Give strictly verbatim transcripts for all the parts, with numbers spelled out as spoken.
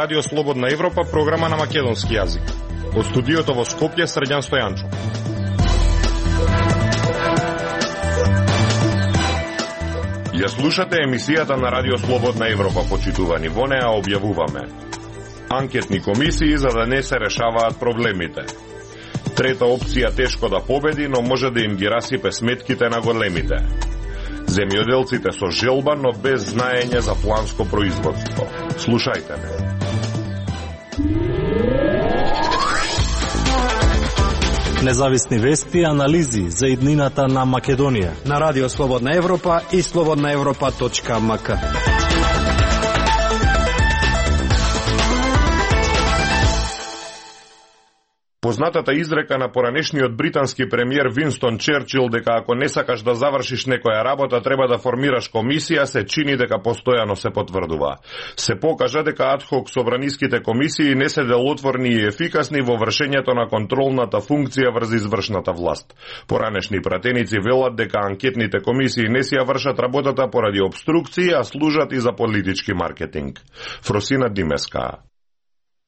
Радио Слободна Европа, програма на македонски јазик. Од студиото во Скопје, Срđan Стојанчо. Ја слушате емисијата на Радио Слободна Европа, почитувани. Во неа објавуваме анкетни комисии за да не се решаваат проблемите. Трета опција тешко да победи, но може да им ги расипе сметките на големите. Земјоделците со желба, но без знаење за планско производство. Слушајте ме. Независни вести и анализи за иднината на Македонија на Радио Слободна Европа и слободна европа точка ем ка. Познатата изрека на поранешниот британски премиер Винстон Черчил дека ако не сакаш да завршиш некоја работа треба да формираш комисија се чини дека постојано се потврдува. Се покажа дека адхок собраниските комисии не се делотворни и ефикасни во вршењето на контролната функција врз извршната власт. Поранешни пратеници велат дека анкетните комисии не си ја вршат работата поради обструкции, а служат и за политички маркетинг. Фросина Димеска.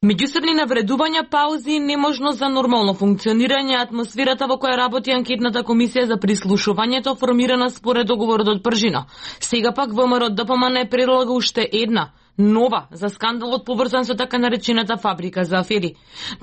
Меѓусебни навредувања, паузи и неможност за нормално функционирање, атмосферата во која работи анкетната комисија за прислушувањето формирана според договорот од Пржино. Сега пак ВМРО Д П М Н предлага уште една нова за скандалот поврзан со така наречената фабрика за афери.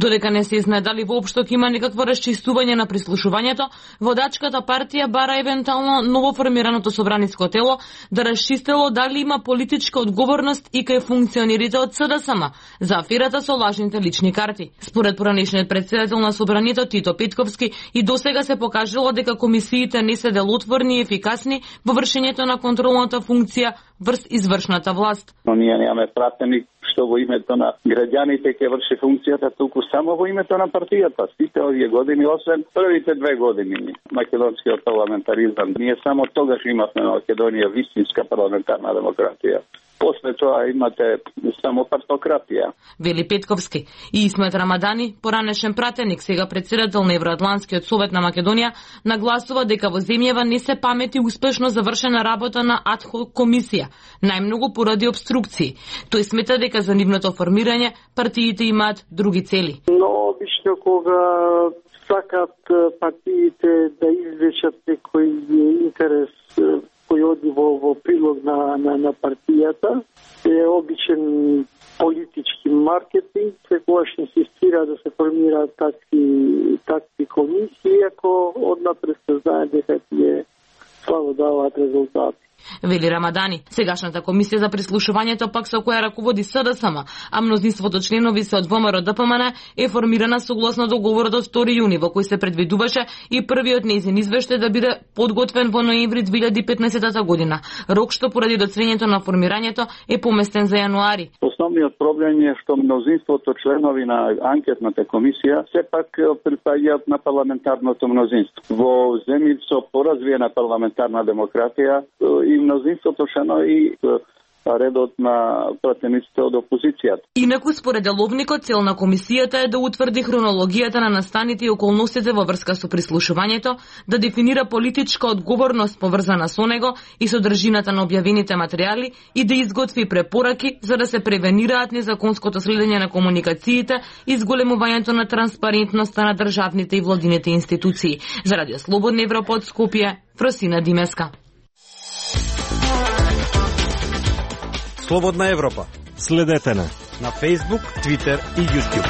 Додека не се знае дали воопшто ќе има некакво расчистување на прислушувањето, водачката партија бара евентуално новоформираното собраниско тело да расчистело дали има политичка одговорност и кај функционерите од С Д С М за аферата со лажните лични карти. Според поранешниот претседател на собранието Тито Петковски, и досега се покажало дека комисиите не се делотворни и ефикасни во вршењето на контролната функција врз извршната власт. Немаме пратеник што во името на граѓаните ќе врши функцијата, туку само во името на партијата. Сите овие години, освен првите две години македонскиот парламентаризам, ние само тогаш имавме на Македонија вистинска парламентарна демократија. После тоа имате само партократија. Вели Петковски. И Исмет Рамадани, поранешен пратеник, сега председател на Евроатлантскиот совет на Македонија, нагласува дека во земјава не се памети успешно завршена работа на адхок комисија, најмногу поради обструкции. Тој смета дека за нивното формирање партиите имаат други цели. Но обично кога сакат партиите да извлечат некој интерес кој оди во, во прилог на, на, на партијата, е обичен политички маркетинг, секогаш инсистира да се формираат такви, такви комисии, ако однапред се знае дека тие слабо даваат резултати. Вели Рамадани. Сегашната комисија за прислушувањето пак со која раководи С Д С М, а мнозинството членови се од ВМРО Д П М Н е формирана согласно договорот од втори јуни, во кој се предвидуваше и првиот нејзин извештај да биде подготвен во ноември две илјади и петнаесетта година. Рок што поради доцнењето на формирањето е поместен за јануари. Основниот проблем е што мнозинството членови на анкетната комисија сепак припаѓаат на парламентарното мнозинство. Во земји со поразвиена парламентарна демократија и мнозинството шано и редот на пратениците од опозицијата. Инаку, според деловникот, цел на комисијата е да утврди хронологијата на настаните и околностите во врска со прислушувањето, да дефинира политичка одговорност поврзана со него и содржината на објавените материјали и да изготви препораки за да се превенираат незаконското следење на комуникациите и зголемувањето на транспарентноста на државните и владините институции. За Радио Слободна Европа од Скопје, Фросина Димеска. Слободна Европа. Следете на на Facebook, Twitter и YouTube.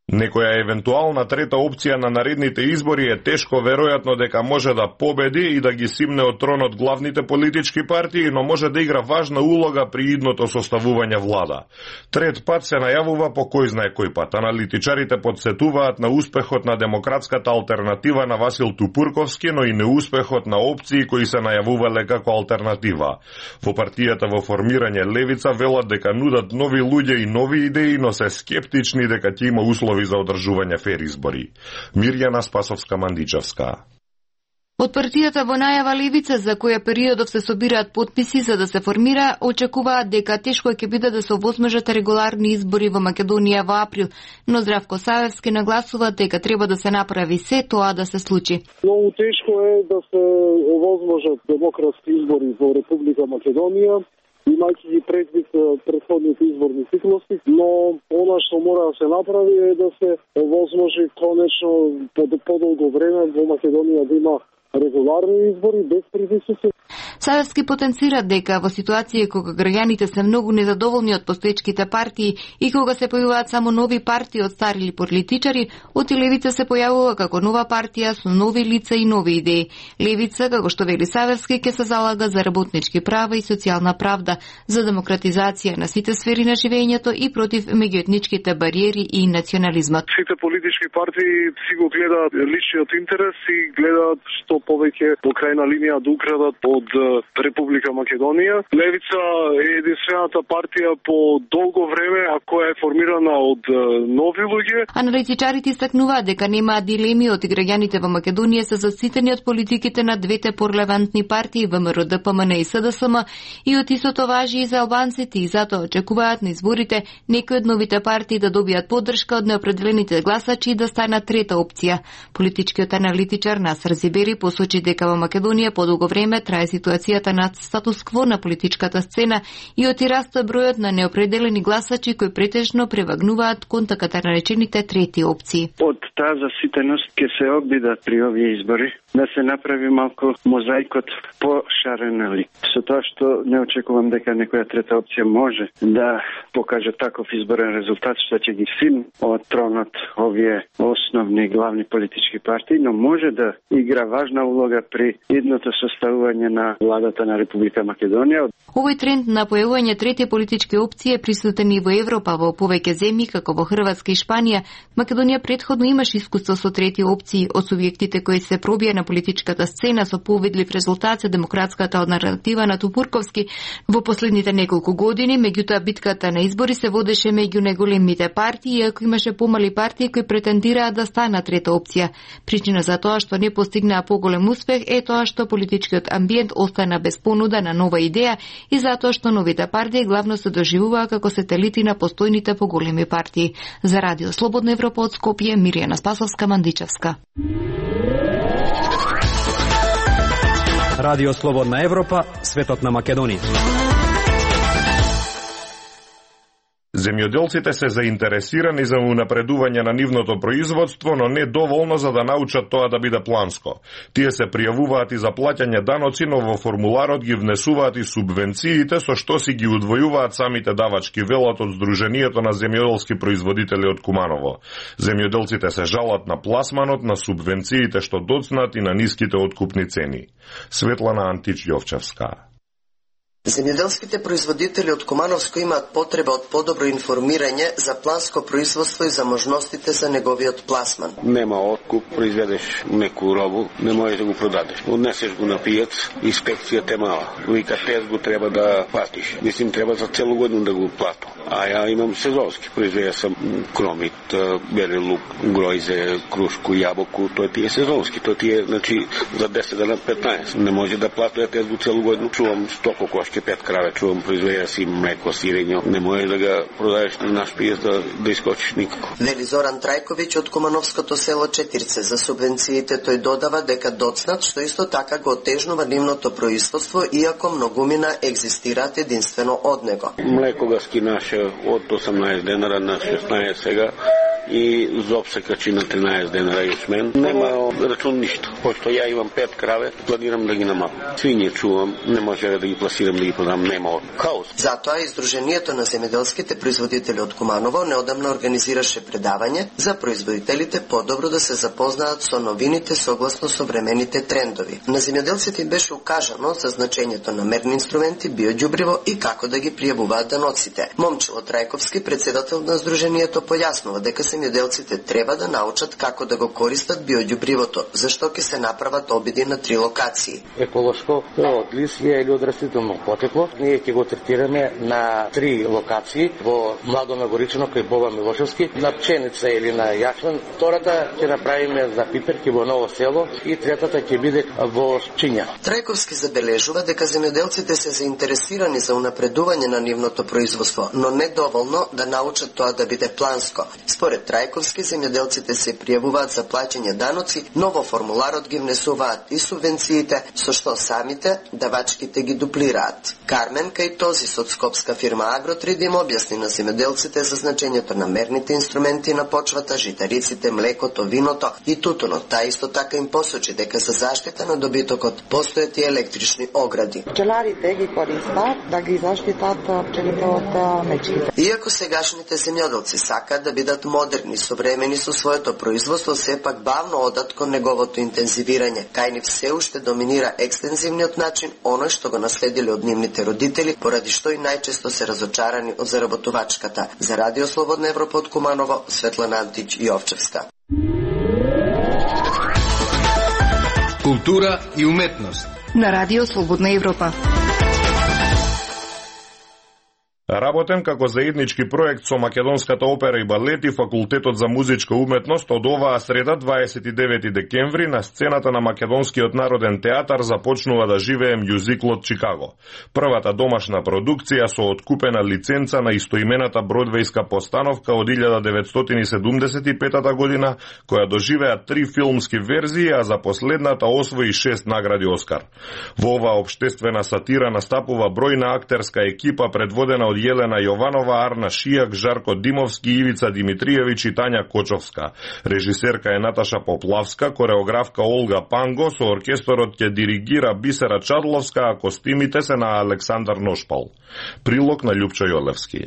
Некоја евентуална трета опција на наредните избори е тешко веројатно дека може да победи и да ги симне од тронот главните политички партии, но може да игра важна улога при идното составување влада. Трет пат се најавува по кој знае кој пат. Аналитичарите подсетуваат на успехот на демократската алтернатива на Васил Тупурковски, но и неуспехот на опции кои се најавувале како алтернатива. Во партијата во формирање левица велат дека нудат нови луѓе и нови идеи, но се скептични дека ќе има услови за одржување фер избори. Мирјана Спасовска-Мандичевска. Од партијата во најава Левица, за која периодов се собираат потписи за да се формира, очекуваат дека тешко ќе биде да се овозможат регуларни избори во Македонија во април, но Здравко Савевски нагласува дека треба да се направи се тоа да се случи. Многу тешко е да се овозможат демократски избори во Република Македонија, имајќи ги предвид претходните изборни циклуси, но она што мора да се направи е да се овозможи конечно по подолго време во Македонија да има регуларни избори без притисоци. Савевски потенцира дека во ситуација кога граѓаните се многу незадоволни од постоечките партии и кога се појавуваат само нови партии од стари политичари, од Левица се појавува како нова партија со нови лица и нови идеи. Левица, како што вели Савевски, ќе се залага за работнички права и социјална правда, за демократизација на сите сфери на живењето и против меѓуетничките бариери и национализмот. Сите политички партии си го гледаат личниот интерес и гледаат што повеќе по крајна линија да украдат од Република Македонија. Левица е единствената партија по долго време, а која е формирана од нови луѓе. Аналитичарите истакнуваат дека немаат дилеми од граѓаните во Македонија се заситени од политиките на двете порелевантни партии ВМРО Д П М Н и С Д С М и од истото важи и за албанците и затоа очекуваат на изборите некои од новите партии да добијат поддршка од неопределените гласачи и да станат трета опција. Политичкиот аналитичар Насер Зибери посочи дека во Македонија подолго време трае ситуацијата на статус кво на политичката сцена и оти раста бројот на неопределени гласачи кои претежно превагнуваат кон така наречените трети опции. Од таа заситеност ќе се обидат при овие избори да се направи малку мозаикот пошарен лик. Со тоа што не очекувам дека некоја трета опција може да покаже таков изборен резултат што ќе ги сим од тронот овие основни главни политички партии, но може да игра важна улога при идното составување на владата на Република Македонија. Овој тренд на појавување трети политички опции е присутен и во Европа, во повеќе земји како во Хрватска и Шпанија. Македонија претходно имаше искуство со трети опции од субјектите кои се пробија на политичката сцена со повидлив резултат за демократската алтернатива на Тупурковски во последните неколку години, меѓутоа битката на избори се водеше меѓу најголемите партии, иако имаше помали партии кои претендираат да станат трета опција. Причина за тоа што не постигнаа поголем успех е тоа што политичкиот амбиент остана без понуда на нова идеја и затоа што новите партии главно се доживуваа како сателити на постојните поголеми партии. За Радио Слободна Европа од Скопје, Миријана Спасовска-Мандичевска. Радио Слободна Европа, светот на Македонија. Земјоделците се заинтересирани за унапредување на нивното производство, но не доволно за да научат тоа да биде планско. Тие се пријавуваат и за плаќање даноци, но во формуларот ги внесуваат и субвенциите, со што си ги удвојуваат самите давачки, велат од Сдруженијето на земјоделски производители од Куманово. Земјоделците се жалат на пласманот, на субвенциите што доцнат и на ниските откупни цени. Светлана Антич Јовчевска. Земјоделските производители од Кумановско имаат потреба од подобро информирање за планско производство и за можностите за неговиот пласман. Нема откуп, произведеш неку робу, не можеш да го продадеш. Однесеш го на пијац, инспекцијата е мала. Вика, тез го треба да платиш. Мислим, треба за целу годину да го платам. А ја имам сезонски. Произведя сам кромит, бели лук, гројзе, крушку, јабоку. Тоа ти е сезонски. Тоа ти е, значи, за десет дена петнаесет. Не може да платам тез го целу годину. Чувам стоко кошки, пет краве, чувам, произведја си млеко, сирење. Не може да го продадеш на наш пијац да, да искочиш никако. Вели Зоран Трајковиќ од Кумановското село Четирце. За субвенциите тој додава дека доцнат, што исто така го отежнува нивното производство, иако многумина екзистираат единствено од него. Млеко го скинаше од осамнаесет денара на шеснаесет сега и зоб се качи на тринаесет денара јачмен. Нема рачун ништо. Пошто ја имам пет краве, планирам да ги намалам. Свиње чувам, не може да ги пласирам, да ги продам, нема хаос. Затоа Издруженијето на земјоделските производители од Куманово неодамна организираше предавање за производителите подобро да се запознаат со новините согласно современите трендови. На земјоделците им беше укажано за значењето на мерни инструменти, биоѓубриво и како да ги пријавуваат даноците. Момчило Трајковски, председател на Издруженијето, појаснува дека се земјоделците треба да научат како да го користат биоѓубривото, зашто ќе се направат обиди на три локации. Еколошко од листија или од растително потекло, ние ќе го третираме на три локации во Младо Нагоричано кај Боба Милошевски, на пченица или на јачмен. Втората ќе направиме за пиперки во Ново село и третата ќе биде во Чиња. Трајковски забележува дека земјоделците се заинтересирани за унапредување на нивното производство, но не доволно да научат тоа да биде планско. Според Трајковски, земјоделците се пријавуваат за плаќање даноци, но во формуларот ги внесуваат и субвенциите, со што самите давачките ги дуплираат. Кармен кај този од скопска фирма Агротрид им објасни на земјоделците за значењето на мерните инструменти на почвата, житариците, млекото, виното и тутунот. Та исто така им посочи дека за заштита на добитокот постојат и електрични огради. Пчеларите ги користат да ги заштитат пчелите од мечките. Иако сегашните земјоделци сакаат да бидат модерни, современи со своето производство, сепак бавно одат кон неговото интензивирање. Кај нив се уште доминира екстензивниот начин, оној што го наследиле од нивните родители, поради што и најчесто се разочарани од заработувачката. За Радио Слободна Европа од Куманово, Светлана Антич и Овчевска. Култура и уметност на Радио Слободна Европа. Работен како заеднички проект со Македонската опера и балет и Факултетот за музичка уметност, од оваа среда, дваесет и девети декември, на сцената на Македонскиот народен театар започнува да живее мюзиклот Чикаго. Првата домашна продукција со откупена лиценца на истоимената бродвејска постановка од илјада деветстотини седумдесет и петата година, која доживеа три филмски верзии, а за последната освои шест награди Оскар. Во оваа општествена сатира настапува бројна актерска екипа предводена од Јелена Јованова, Арна Шијак, Жарко Димовски, Ивица Димитриевич и Тања Кочовска. Режисерка е Наташа Поплавска, кореографка Олга Панго, со оркесторот ќе диригира Бисера Чадловска, а костимите се на Александар Ношпал. Прилог на Љупчо Јолевски.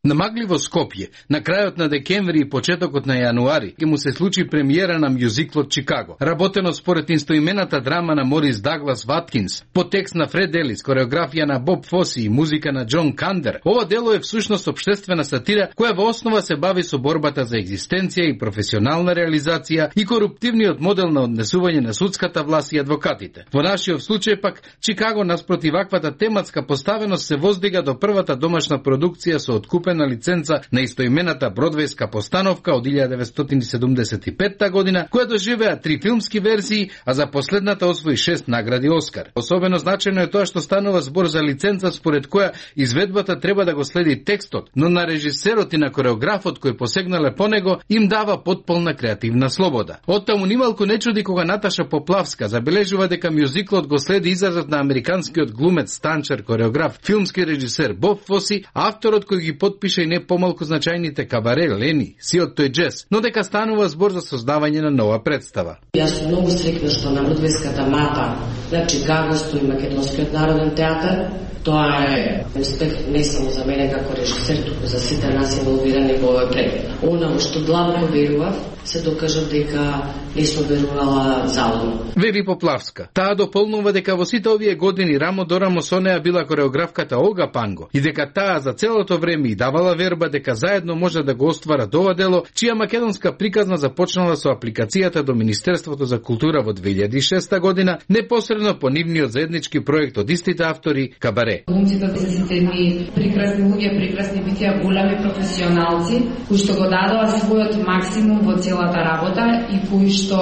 На магливо Скопје, на крајот на декември и почетокот на јануари, ќе му се случи премиера на мюзиклот Чикаго, работено според истоимената драма на Морис Даглас Ваткинс, по текст на Фред Елис, кореографија на Боб Фоси и музика на Џон Кандер. Ова дело е всушност општествена сатира која во основа се бави со борбата за екзистенција и професионална реализација и коруптивниот модел на однесување на судската власт и адвокатите. Во нашиот случај пак Чикаго наспроти ваквата тематска поставеност се воздига до првата домашна продукција со откупен на лиценца на истоимената бродвејска постановка од илјада деветстотини седумдесет и петта година, која доживеа три филмски верзии, а за последната освои шест награди Оскар. Особено значено е тоа што станува збор за лиценца според која изведбата треба да го следи текстот, но на режисерот и на кореографот кој посегнале по него им дава потполна креативна слобода. Оттаму нималку не чуди кога Наташа Поплавска забележува дека мюзиклот го следи изразот на американскиот глумец, станчер, кореограф, филмски режисер Боб Фоси, авторот кој ги подпиша и не помалку значајните Кабаре, Лени, Сиот тој джез, но дека станува збор за создавање на нова представа. Јас сум многу среќна што на бродвејската мапа на Чикаго стои Македонскиот народен театар. Тоа е успех не само за мене како режисер, туку за сите нас инволвирани во овој проект. Она што длабоко верував, се докажав дека не сум верувала залудно. Вери Поплавска. Таа дополнува дека во сите овие години рамо до рамо со неа била кореографката Олга Панго и дека таа за целото време и давала верба дека заедно може да го остварат ова дело, чија македонска приказна започнала со апликацијата до Министерството за култура во две илјади и шеста година, непосредно по нивниот заеднички проект од истите автори Кабаре. Глумците се сите ми прекрасни луѓе, прекрасни битија, големи професионалци, кои што го дадоа својот максимум во целата работа и кои што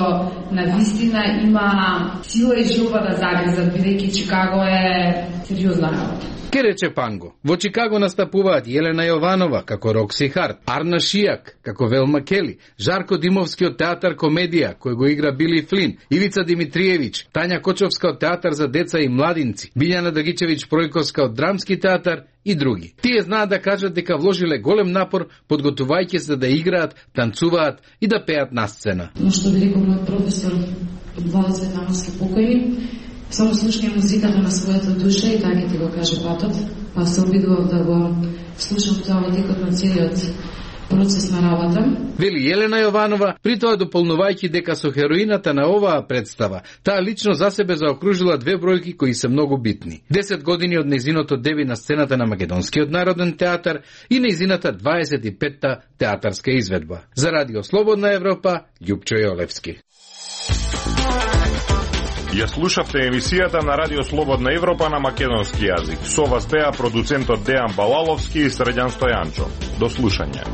на вистина има сила и желба да загризат, бидејќи Чикаго е сериозна работа. Ке рече Панго. Во Чикаго настапуваат Јелена Јованова како Рокси Харт, Арна Шијак како Велма Кели, Жарко Димовски од театар комедија кој го игра Били Флин, Ивица Димитриевич, Тања Кочовска од театар за деца и младинци, Билјана Драгичевич Пројковска од драмски театар и други. Тие знаат да кажат дека вложиле голем напор подготувајќи се да играат, танцуваат и да пеат на сцена. Но што би рекол мојот професор Владо Цветановски покојни, само слушнија музиката на својата душа и така ти го каже патот, па се обидував да го слушам тоа во текот на целиот процес на работа. Вели Елена Јованова, при тоа дополнувајќи дека со хероината на оваа представа, таа лично за себе заокружила две бројки кои се многу битни. десет години од нејзиното деби на сцената на Македонскиот народен театар и нејзината дваесет и петта театарска изведба. За Радио Слободна Европа, Љупчо Јолевски. Ја слушавте емисијата на Радио Слободна Европа на македонски јазик. Со вас беа продуцентот Дејан Балаловски и Средјан Стојанчо. До слушање.